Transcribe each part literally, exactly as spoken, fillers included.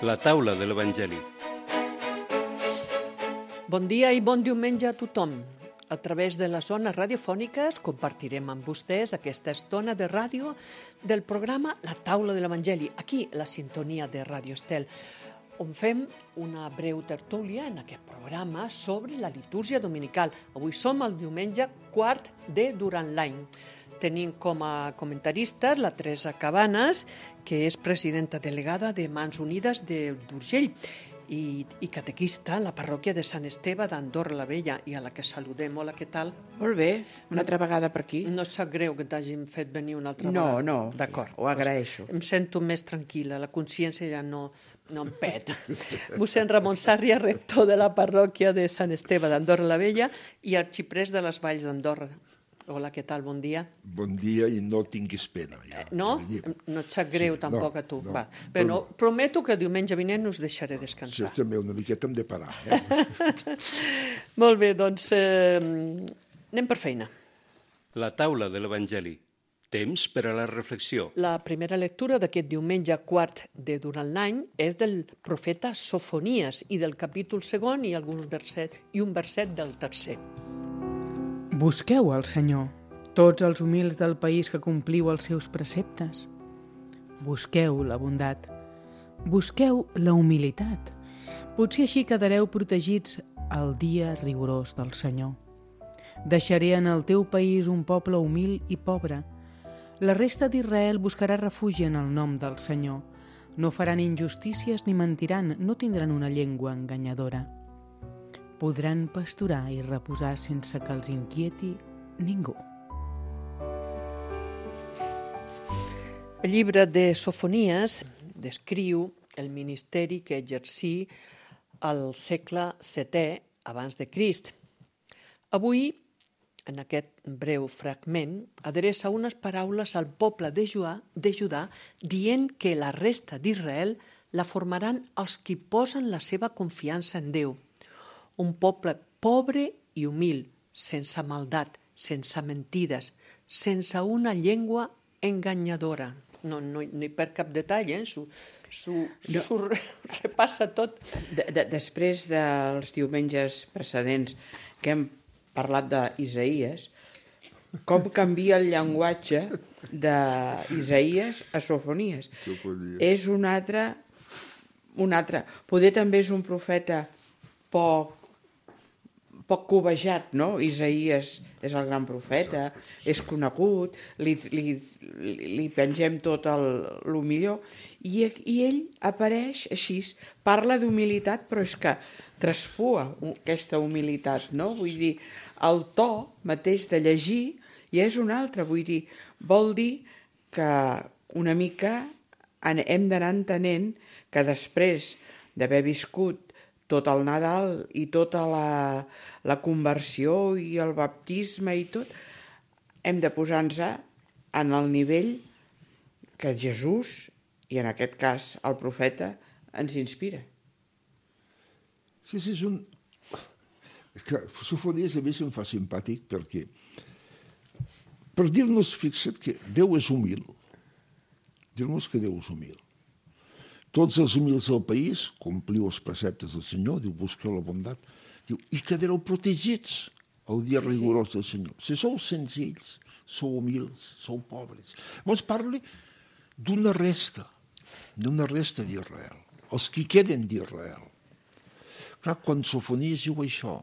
La taula de l'Evangeli. Bon dia i bon diumenge a tothom. A través de les zones radiofòniques compartirem amb vostès aquesta estona de ràdio del programa La taula de l'Evangeli, aquí, la sintonia de Ràdio Estel, on fem una breu tertúlia en aquest programa sobre la litúrgia dominical. Avui som el diumenge quart de durant l'any. Tenim com a comentaristes la Teresa Cabanes, que és presidenta delegada de Mans Unides d'Urgell i, i catequista a la parròquia de Sant Esteve d'Andorra la Vella, i a la que saludem. Hola, què tal? Molt bé, una altra vegada per aquí. No et sap greu que t'hagin fet venir una altra No, vegada? no, D'acord. ho agraeixo. Em sento més tranquil·la, la consciència ja no, no em peta. Mossèn Ramon Sàrria, rector de la parròquia de Sant Esteve d'Andorra la Vella i arxiprest de les Valls d'Andorra. Hola, què tal? Bon dia. Bon dia i no tinguis pena. Ja. No? No et sap greu Sí, tampoc no, a tu? no. Va. Bé, no, prometo que diumenge vinent us deixaré descansar. Sí, també una miqueta hem de parar. Eh? Molt bé, doncs eh, anem per feina. La taula de l'Evangeli. Temps per a la reflexió. La primera lectura d'aquest diumenge quart de durant l'any és del profeta Sofonies i del capítol segon i alguns versets i un verset del tercer. Busqueu el Senyor, tots els humils del país que compliu els seus preceptes. Busqueu la bondat, busqueu la humilitat. Potser així quedareu protegits al dia rigorós del Senyor. Deixaré en el teu país un poble humil i pobre. La resta d'Israel buscarà refugi en el nom del Senyor. No faran injustícies ni mentiran, no tindran una llengua enganyadora. Podran pasturar i reposar sense que els inquieti ningú. El llibre de Sofonies descriu el ministeri que exercí al segle setè abans de Crist. Avui, en aquest breu fragment, adreça unes paraules al poble de Judà, de Judà dient que la resta d'Israel la formaran els qui posen la seva confiança en Déu. Un poble pobre i humil, sense maldat, sense mentides, sense una llengua enganyadora. No, no, no hi perd cap detall, eh? S'ho no. repassa tot. De, de, després dels diumenges precedents que hem parlat d'Isaïes, com canvia el llenguatge d'Isaïes a Sofonies. És un altre, un altre. Poder també és un profeta poc poc cobejat, no? Isaïes és el gran profeta, és conegut, li, li, li pengem tot el, el millor, i, i ell apareix així, parla d'humilitat, però és que traspua aquesta humilitat, no? Vull dir, el to mateix de llegir ja és un altre, vull dir, vol dir que una mica hem d'anar entenent que després d'haver viscut tot el Nadal i tota la, la conversió i el baptisme i tot, hem de posar-nos en el nivell que Jesús, i en aquest cas el profeta, ens inspira. Sí, sí, és un... És que Sofonies a mi se'm fa simpàtic perquè per dir-nos, fixa't, que Déu és humil. Dir-nos que Déu és humil. Tots els humils del país, compliu els preceptes del Senyor, diu, busqueu la bondat, diu, i quedareu protegits el dia rigorós del Senyor. Si sou senzills, sou humils, sou pobres. Llavors parla d'una resta, d'una resta d'Israel, els que queden d'Israel. Clar, quan Sofonies diu això,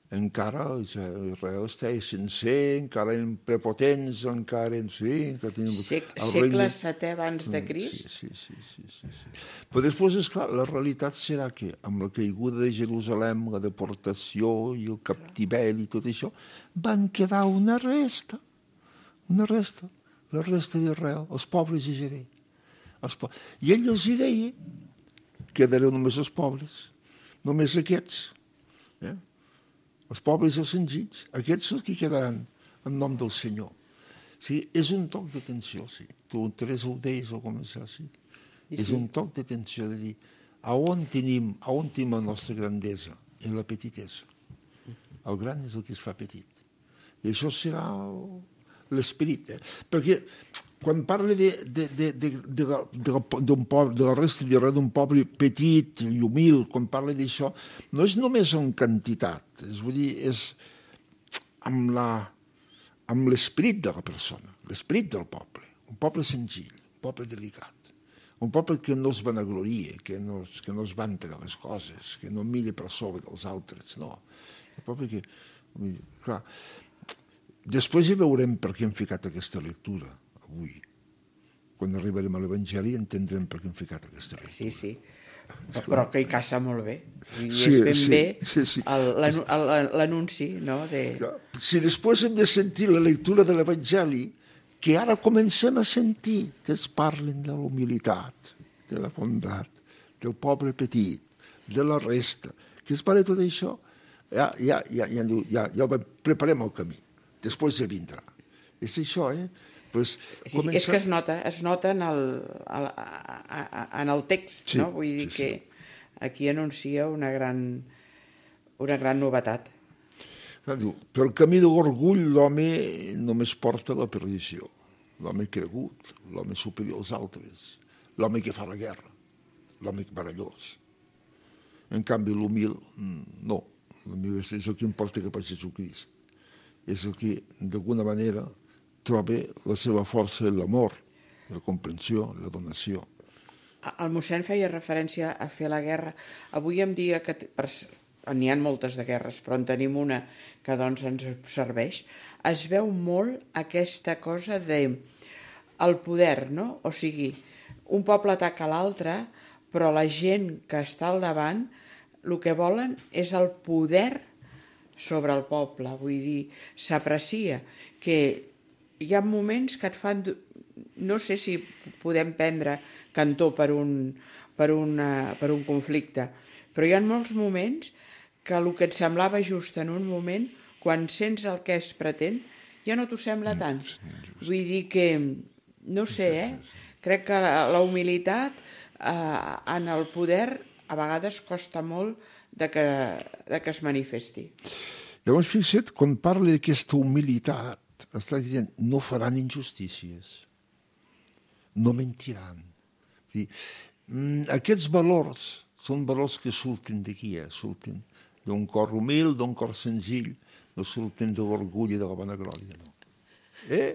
encara Israel està sencer, encara en prepotents, encara en... Sí, que tenim Sec, segle setè abans de Crist? Sí, sí, sí, sí, sí. Però després, esclar, la realitat serà que amb la caiguda de Jerusalem, la deportació i el captiveri i tot això, van quedar una resta, una resta, la resta d'Israel, els pobres de Jeré. Po... I ell els hi deia, quedareu només els pobres, només aquests, eh? Els pobres i els senzills, aquests són els que quedaran en nom del Senyor. Sí, és un toc d'atenció, sí. Tu, Teresa, ho deies al començar, sí. Sí. És un toc d'atenció de dir a on tenim, a on tenim la nostra grandesa? En la petitesa. El gran és el que es fa petit. I això serà l'esperit. Eh? Perquè quan parla de, de, de, de, de, de, d'un poble, de la resta de res d'un poble petit i humil, quan parla d'això, no és només en quantitat, és, vull dir, és amb, la, amb l'esperit de la persona, l'esperit del poble, un poble senzill, un poble delicat, un poble que no es vanagloria, que no, que no es vanta de les coses, que no mira per sobre dels altres, no. Un poble que, clar, després hi veurem per què hem ficat aquesta lectura avui. Quan arribarem a l'Evangeli entendrem per què hem ficat aquesta lectura. Sí, sí, però que hi caça molt bé. I sí, és ben sí, bé sí, sí. l'anunci, no? De... Si després hem de sentir la lectura de l'Evangeli, que ara comencem a sentir que es parlen de la humilitat, de la bondat, del poble petit, de la resta, que es parla de tot això, ja, ja, ja, ja, ja, ja preparem el camí. Després ja vindrà. És això, eh? Pues, sí, comença... És que es nota, es nota en el, en el text, sí, no? Vull dir sí, que sí. Aquí anuncia una gran, una gran novetat. Diu, pel camí de l'orgull l'home només porta la perdició. L'home cregut, l'home superior als altres, l'home que fa la guerra, l'home barallós. En canvi, l'humil, no. L'humil és el que importa que pas Jesucrist. És el que, d'alguna manera, troba la seva força en l'amor, la comprensió, la donació. El mossèn feia referència a fer la guerra. Avui em dia que n'hi ha moltes de guerres, però en tenim una que doncs ens serveix. Es veu molt aquesta cosa de el poder, no? O sigui, un poble ataca l'altre, però la gent que està al davant el que volen és el poder sobre el poble. Vull dir, s'aprecia que hi ha moments que et fan... No sé si podem prendre cantó per un, per una, per un conflicte, però hi ha molts moments que el que et semblava just en un moment, quan sents el que es pretén, ja no t'ho sembla tant. Vull dir que, no sé, eh? Crec que la humilitat eh, en el poder a vegades costa molt de que, de que es manifesti. Llavors, fixa't, quan parla d'aquesta humilitat, està dient, no faran injustícies, no mentiran. Dir, aquests valors són valors que surten d'aquí, eh? Surten d'un cor humil, d'un cor senzill, no surten de l'orgull i de la vanaglòria, no. Eh?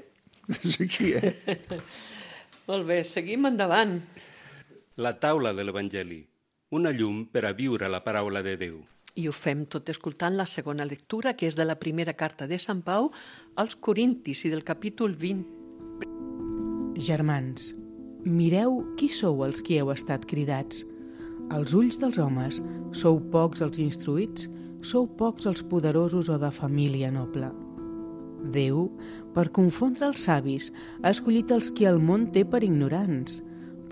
És aquí, eh? Molt bé, seguim endavant. La taula de l'Evangeli, una llum per a viure la paraula de Déu. I ho fem tot escoltant la segona lectura, que és de la primera carta de Sant Pau als Corintis i del capítol vint. Germans, mireu qui sou els qui heu estat cridats. Als ulls dels homes sou pocs els instruïts, sou pocs els poderosos o de família noble. Déu, per confondre els savis, ha escollit els qui el món té per ignorants.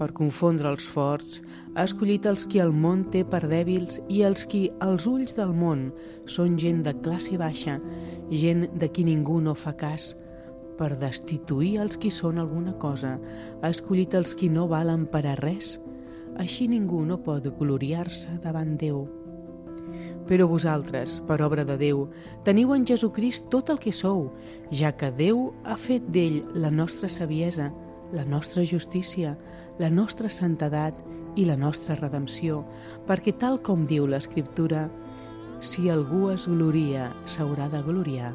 Per confondre els forts, ha escollit els qui el món té per dèbils i els qui, als ulls del món, són gent de classe baixa, gent de qui ningú no fa cas. Per destituir els qui són alguna cosa, ha escollit els qui no valen per a res. Així ningú no pot gloriar-se davant Déu. Però vosaltres, per obra de Déu, teniu en Jesucrist tot el que sou, ja que Déu ha fet d'ell la nostra saviesa, la nostra justícia, la nostra santedat i la nostra redempció, perquè tal com diu l'Escriptura, si algú es gloria, s'haurà de gloriar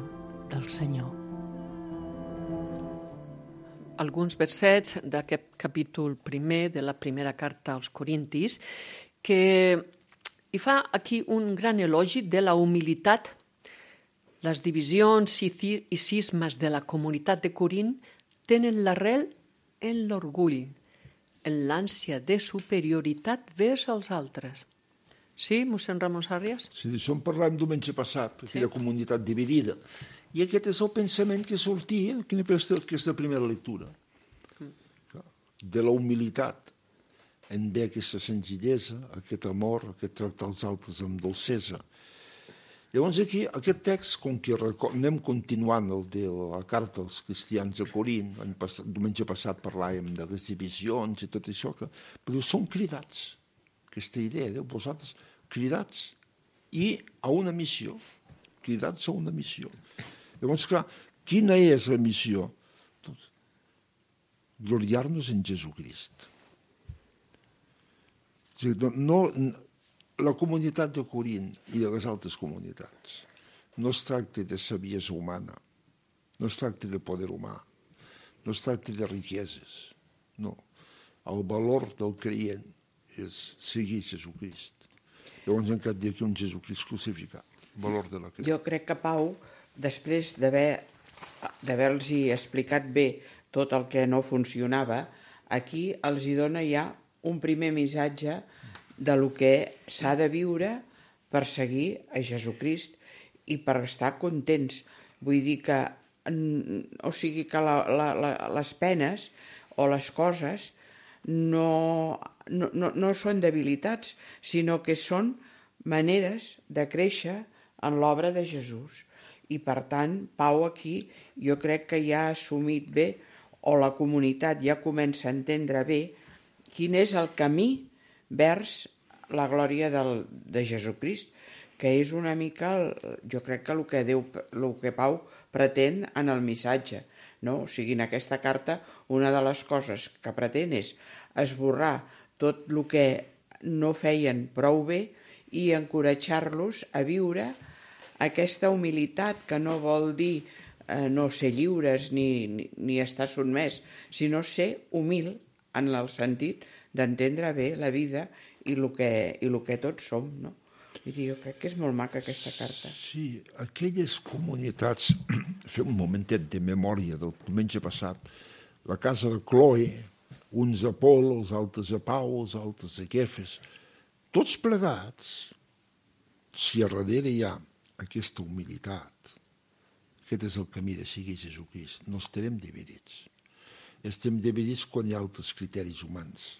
del Senyor. Alguns versets d'aquest capítol primer de la primera carta als Corintis, que hi fa aquí un gran elogi de la humilitat. Les divisions i cismes de la comunitat de Corint tenen l'arrel en l'orgull, en l'ànsia de superioritat vers els altres. Sí, mossèn Ramon Sàrries? Sí, d'això en parlàvem diumenge passat, aquella sí. Comunitat dividida. I aquest és el pensament que sortia en aquesta primera lectura. Mm. De la humilitat, en ve aquesta senzillesa, aquest amor, aquest tractar els altres amb dolcesa. Llavors aquí, aquest text, com que anem continuant el de la carta als cristians de Corint, el diumenge passat parlàvem de les divisions i tot això, que, però són cridats, aquesta idea, de vosaltres cridats i a una missió, cridats a una missió. Llavors, clar, quina és la missió? gloriar-nos en Jesucrist. No, la comunitat de Corint i de les altres comunitats no es tracta de saviesa humana, no es tracta de poder humà, no es tracta de riqueses, no. El valor del creient és seguir Jesucrist. Llavors encara dir que un Jesucrist crucificat, el valor de la creu. Jo crec que Pau, després d'haver-los explicat bé tot el que no funcionava, aquí els hi dona ja un primer missatge de lo que s'ha de viure per seguir a Jesucrist i per estar contents. Vull dir que, o sigui que la, la, la, les penes o les coses no, no, no, no són debilitats, sinó que són maneres de créixer en l'obra de Jesús. I per tant, Pau aquí jo crec que ja ha assumit bé, o la comunitat ja comença a entendre bé, quin és el camí vers la glòria del, de Jesucrist, que és una mica, jo crec que el que, Déu, el que Pau pretén en el missatge. No? O sigui, en aquesta carta, una de les coses que pretén és esborrar tot el que no feien prou bé i encoratjar-los a viure aquesta humilitat, que no vol dir eh, no ser lliures ni, ni, ni estar sotmès, sinó ser humil en el sentit d'entendre bé la vida i el que, i el que tots som, no? I jo crec que és molt maca aquesta carta. Sí, aquelles comunitats, fem un momentet de memòria del diumenge passat, la casa de Cloe, uns a Pol, els altres a Pau, els altres a Kefes, tots plegats, si a darrere hi ha aquesta humilitat, aquest és el camí de seguir Jesucrist, no estarem dividits. Estem dividits quan hi ha altres criteris humans.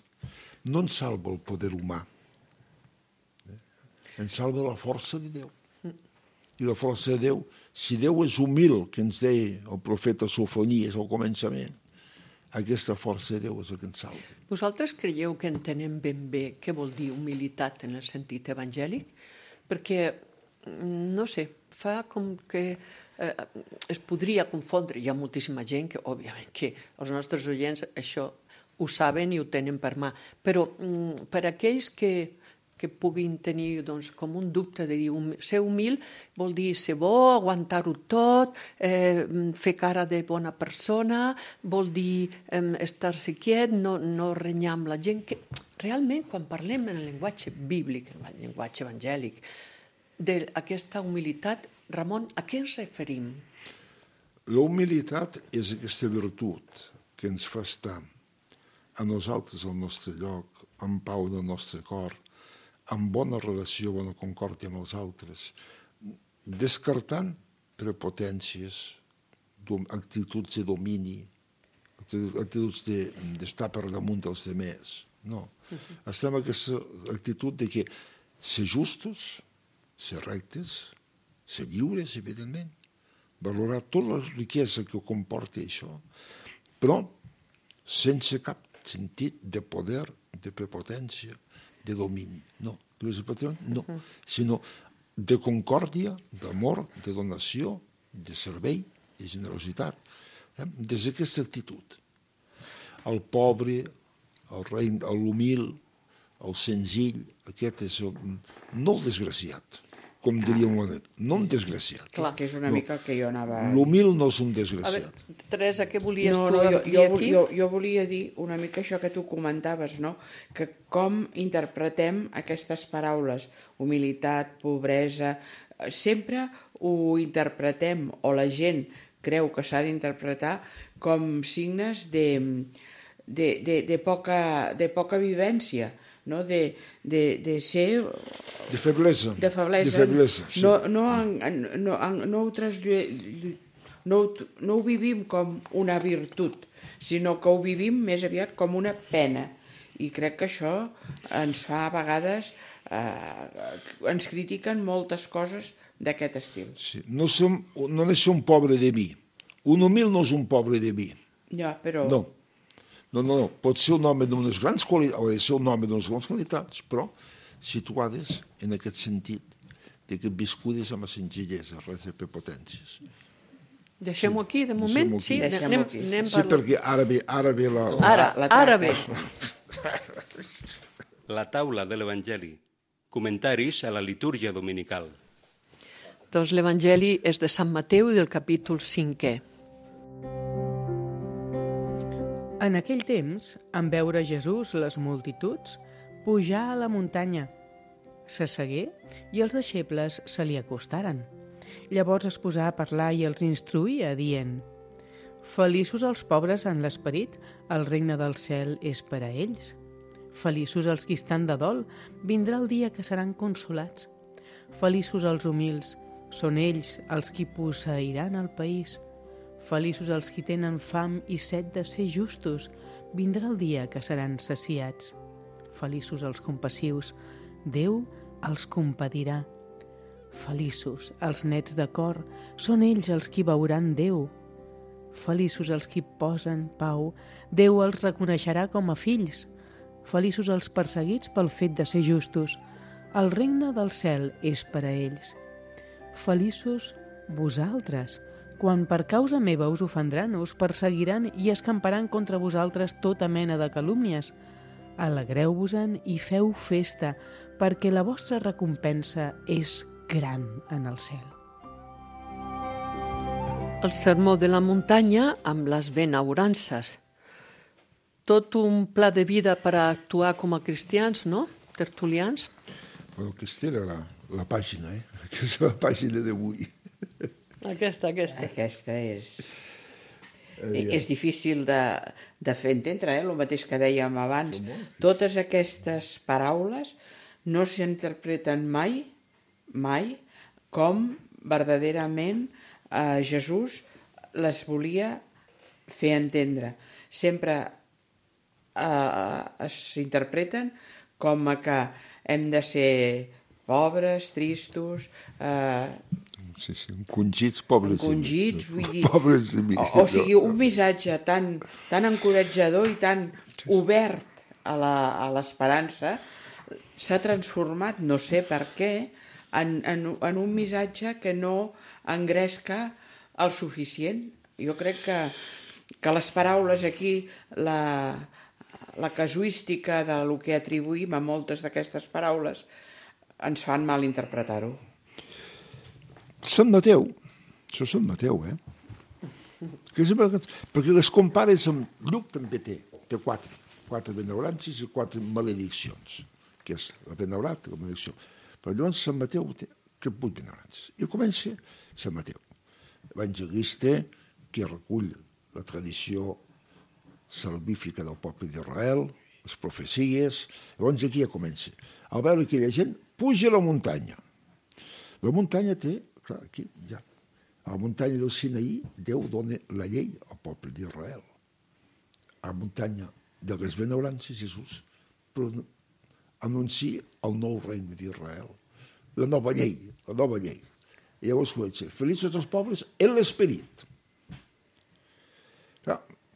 No ens salva el poder humà, ens salva la força de Déu. I la força de Déu, si Déu és humil, que ens deia el profeta Sofonies al començament, aquesta força de Déu és el que ens salva. Vosaltres creieu que entenem ben bé què vol dir humilitat en el sentit evangèlic? Perquè, no sé, fa com que eh, es podria confondre. Hi ha moltíssima gent que, òbviament, que els nostres oients això ho saben i ho tenen per mà. Però mm, per aquells que que puguin tenir doncs, com un dubte de dir hum, ser humil vol dir ser bo, aguantar-ho tot, eh, fer cara de bona persona, vol dir eh, estar-se quiet, no, no renyar amb la gent. Que realment, quan parlem en el llenguatge bíblic, en el llenguatge evangèlic, d'aquesta humilitat, Ramon, a què ens referim? La humilitat és aquesta virtut que ens fa estar a nosaltres al nostre lloc, en pau del nostre cor, amb bona relació, bona concòrdia amb els altres, descartant prepotències, actituds de domini, actituds d'estar per damunt dels demés. No. Estem en aquesta actitud de que ser justos, ser rectes, ser lliures, evidentment, valorar tota la riquesa que comporta això, però sense cap sentit de poder, de prepotència, de domini, no, no, sinó de concòrdia, d'amor, de donació, de servei, de generositat, eh? Des d'aquesta actitud. El pobre, el rei, l'humil, el senzill, aquest és el, no el desgraciat, com diria un net, no un desgraciat. Clar, que és una no. mica el que jo anava... L'humil no és un desgraciat. A veure, Teresa, què volies no, tu no, jo, dir jo, aquí? Jo, jo volia dir una mica això que tu comentaves, no? Que com interpretem aquestes paraules, humilitat, pobresa, sempre ho interpretem, o la gent creu que s'ha d'interpretar com signes de, de, de, de, poca, de poca vivència, no? de, de, de ser... De feblesa. De feblesa. De feblesa sí. No, no, no, no, ho traslle... no, ho, no ho vivim com una virtut, sinó que ho vivim més aviat com una pena. I crec que això ens fa a vegades... Eh, ens critiquen moltes coses d'aquest estil. Sí. No, som, no ha de ser un pobre de vi. Un humil no és un pobre de vi. Ja, però... No. No, no, no, pot ser un home d'unes grans qualitats, o ha de ser un home d'unes grans qualitats, però situades en aquest sentit de que viscudes amb la senzillesa, res de prepotències. Deixem-ho aquí, de moment? Deixem-ho aquí. Sí, Deixem-ho anem, aquí. anem Sí, perquè ara ve, ara ve la... Ara, La- la ara tracta. bé. La taula de l'Evangeli. Comentaris a la litúrgia dominical. Doncs l'Evangeli és de Sant Mateu i del capítol cinquè. En aquell temps, en veure Jesús les multituds, pujà a la muntanya. S'assegué i els deixebles se li acostaren. Llavors es posà a parlar i els instruïa, dient: Feliços els pobres en l'esperit, el regne del cel és per a ells. Feliços els qui estan de dol, vindrà el dia que seran consolats. Feliços els humils, són ells els qui posseiran el país. Feliços els qui tenen fam i set de ser justos, vindrà el dia que seran saciats. Feliços els compassius, Déu els compadirà. Feliços els nets de cor, són ells els qui veuran Déu. Feliços els qui posen pau, Déu els reconeixerà com a fills. Feliços els perseguits pel fet de ser justos, el regne del cel és per a ells. Feliços vosaltres, quan per causa meva us ofendran, us perseguiran i escamparan contra vosaltres tota mena de calúmnies. Alegreu-vos-en i feu festa, perquè la vostra recompensa és gran en el cel. El sermó de la muntanya amb les benaurances. Tot un pla de vida per a actuar com a cristians, no? Tertulians. Bueno, aquesta era la, la pàgina, eh? Aquesta és la pàgina d'avui. Aquesta, aquesta. Aquesta és... És difícil de, de fer entendre, eh? El mateix que dèiem abans. Totes aquestes paraules no s'interpreten mai, mai, com verdaderament eh, Jesús les volia fer entendre. Sempre eh, s'interpreten com a que hem de ser pobres, tristos, eh, Sí, sí, encongits, pobres. encongits, vull dir... Pobres de mi. O, o sigui, un missatge tan, tan encoratjador i tan obert a la, a l'esperança s'ha transformat, no sé per què, en, en, en un missatge que no engresca el suficient. Jo crec que, que les paraules aquí, la, la casuística de lo que atribuïm a moltes d'aquestes paraules, ens fan mal interpretar-ho. Sant Mateu, això és Sant Mateu, eh? Perquè les compares amb Lluc també té, té quatre, quatre benaurances i quatre malediccions, que és la benaurat i la maledicció. Però llavors Sant Mateu té que vuit benaurances. I comença Sant Mateu, evangelista que recull la tradició salvífica del poble d'Israel, les profecies. Llavors aquí ja comença. Al veure aquella gent, puja a la muntanya. La muntanya té, clar, aquí ja, a la muntanya del Sinaí, Déu dona la llei al poble d'Israel. A la muntanya de les benaurances, Jesús anuncia el nou regne d'Israel, la nova llei, la nova llei. I llavors comença, feliços els pobres en l'esperit.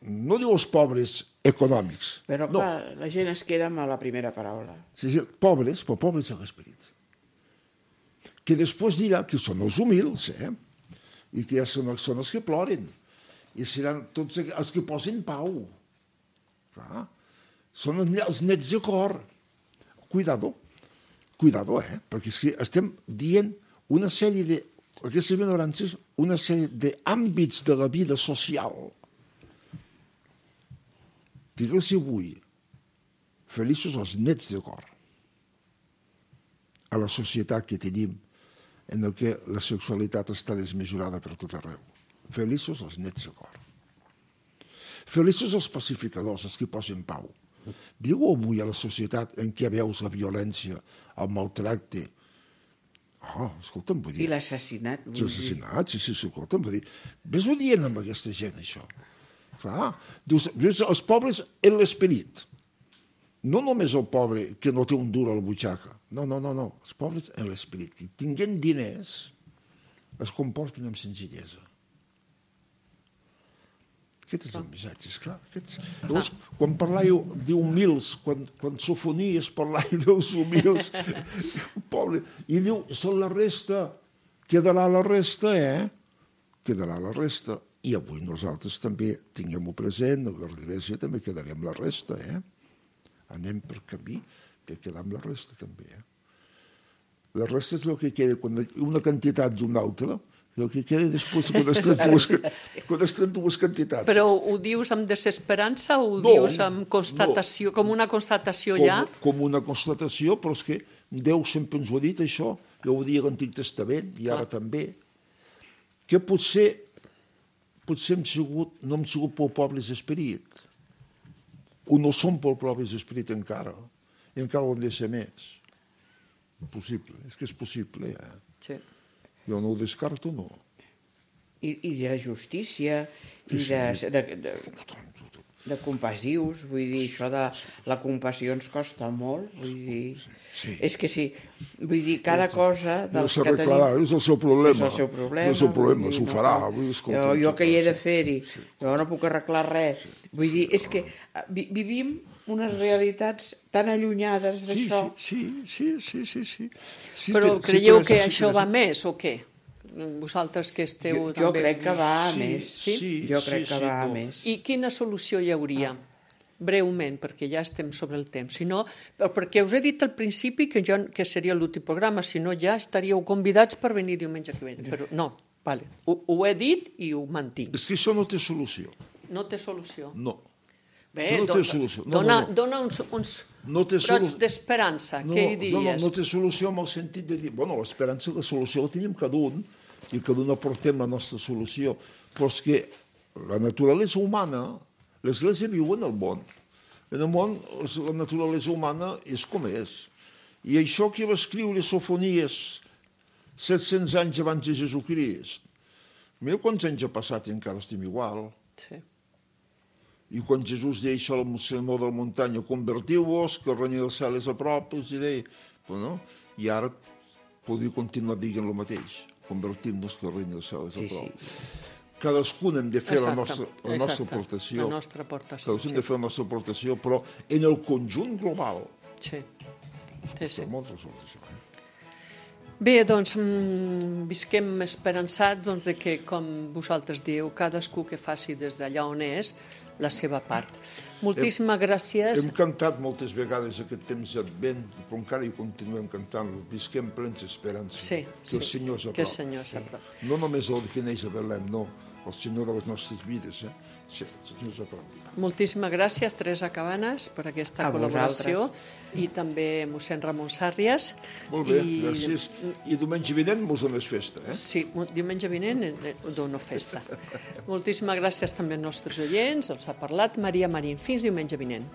No diu els pobres econòmics. Però no. clar, la gent es queda amb la primera paraula. Sí, sí, pobres, però pobres en l'esperit. Que després dirà que són els humils, eh? I que ja són, són els que ploren. I seran tots els que posen pau. Clar. Són els nets de cor. Cuidado, cuidado, eh? Perquè és que estem dient una sèrie de, aquestes benaurances, una sèrie d'àmbits de la vida social. Digues avui, feliços els nets de cor. A la societat que tenim, en el que la sexualitat està desmesurada per tot arreu. Feliços els nets de cor. Feliços els pacificadors, els que posen pau. Diu avui a la societat en què veus la violència, el maltracte. Oh, escolta'm, vull dir... I l'assassinat. L'assassinat, sí, sí, escolta'm, vull dir... Ves-ho dient amb aquesta gent, això. Clar, dius, els pobres en l'esperit. No només el pobre que no té un dur a la butxaca. No, no, no, no. Els pobres en l'esperit. Que tinguent diners es comporten amb senzillesa. Aquest és el missatge, esclar. Aquest... Llavors, quan parlàveu d'humils, quan, quan sofonies parlàveu dels humils, pobre, i diu, són la resta, quedarà la resta, eh? quedarà la resta, i avui nosaltres també tinguem-ho present, a l'Església també quedarem la resta, eh? Anem per camí de quedar amb la resta també, eh? La resta és el que queda, quan una quantitat d'una altra, el que queda després quan es tenen dues, quan es tenen dues quantitats. Però ho dius amb desesperança o ho No, dius amb constatació, no. com una constatació com, ja? Com una constatació, però és que Déu sempre ens ho ha dit, això. Jo ho dia a l'Antic Testament, i ara també. Que potser, potser hem sigut, no hem sigut prou pobres d'esperit. O no som prou pobres d'esperit encara. I encara ho hem de ser més. Possible, és que és possible, ja. Sí. Jo no ho descarto, no. I, i de justícia, i de, de, de, de compassius, vull dir, això de la compassió ens costa molt, vull dir, Sí. és que sí, vull dir, cada cosa No dels que s'arreglarà, tenim... és el seu problema. És el seu problema. És el seu problema, vull dir, s'ho no, farà. no. Vull dir, escolta, jo, jo que hi he de sí. fer-hi, jo no puc arreglar res. Vull dir, és que vi, vivim unes realitats tan allunyades Sí, d'això. sí, sí, sí, sí, sí. sí Però té- sí, creieu Teresa, que sí, això Teresa. va més o què? Vosaltres que esteu Jo, jo també... crec que va a Sí, més. sí, jo crec sí, que sí, va a no. més. I quina solució hi hauria? Breument, perquè ja estem sobre el temps. Si no, perquè us he dit al principi que, jo, que seria l'últim programa, si no ja estaríeu convidats per venir diumenge que ve. Però no, vale. ho, ho he dit i ho mantinc. És que això no té solució. No té solució. No. Bé, Això no té dona, solució. No, dona, no, no. dona uns, uns No té brots solu- d'esperança. No, Què hi no, no, diries? no té solució en el sentit de dir, bueno, l'esperança i la solució la tenim cada un, i cada un aportem la nostra solució. Però és que la naturalesa humana, l'Església viu en el món. En el món, la naturalesa humana és com és. I això que va escriure Sofonies set-cents anys abans de Jesucrist, mira quants anys ha passat i encara estem igual. Sí. I quan Jesús deia això al sermó de la muntanya, convertiu-vos, que el regne del cel és a prop, els deia, però no? I ara podria continuar dient el mateix, convertim-nos que el regne del cel és a Sí, prop. sí. Cadascun hem de fer la Exacte, nostra, la nostra exacte, aportació. la nostra aportació, Cadascun sí. hem de fer la nostra aportació, però en el conjunt global. Sí. Sí, sí. Per molts resultats, això, eh? Bé, doncs, mm, visquem esperançats doncs, de que, com vosaltres dieu, cadascú que faci des d'allà on és la seva part. Moltíssimes gràcies. Hem cantat moltes vegades aquest temps d'Advent, però encara hi continuem cantant. Visquem plens d'esperança. Sí, que el sí, Senyor és a que el prop. Senyor és a prop. No només el que neix a Belém, no. El Senyor de les nostres vides, eh? Sí, el Senyor és a prop. Moltíssimes gràcies, Teresa Cabanes, per aquesta A col·laboració, vosaltres. i també mossèn Ramon Sàrrias. Molt bé, I, gràcies. I diumenge vinent mos en és festa, eh? Sí, diumenge vinent eh, dono festa. Moltíssimes gràcies també als nostres oients, els ha parlat Maria Marín. Fins diumenge vinent.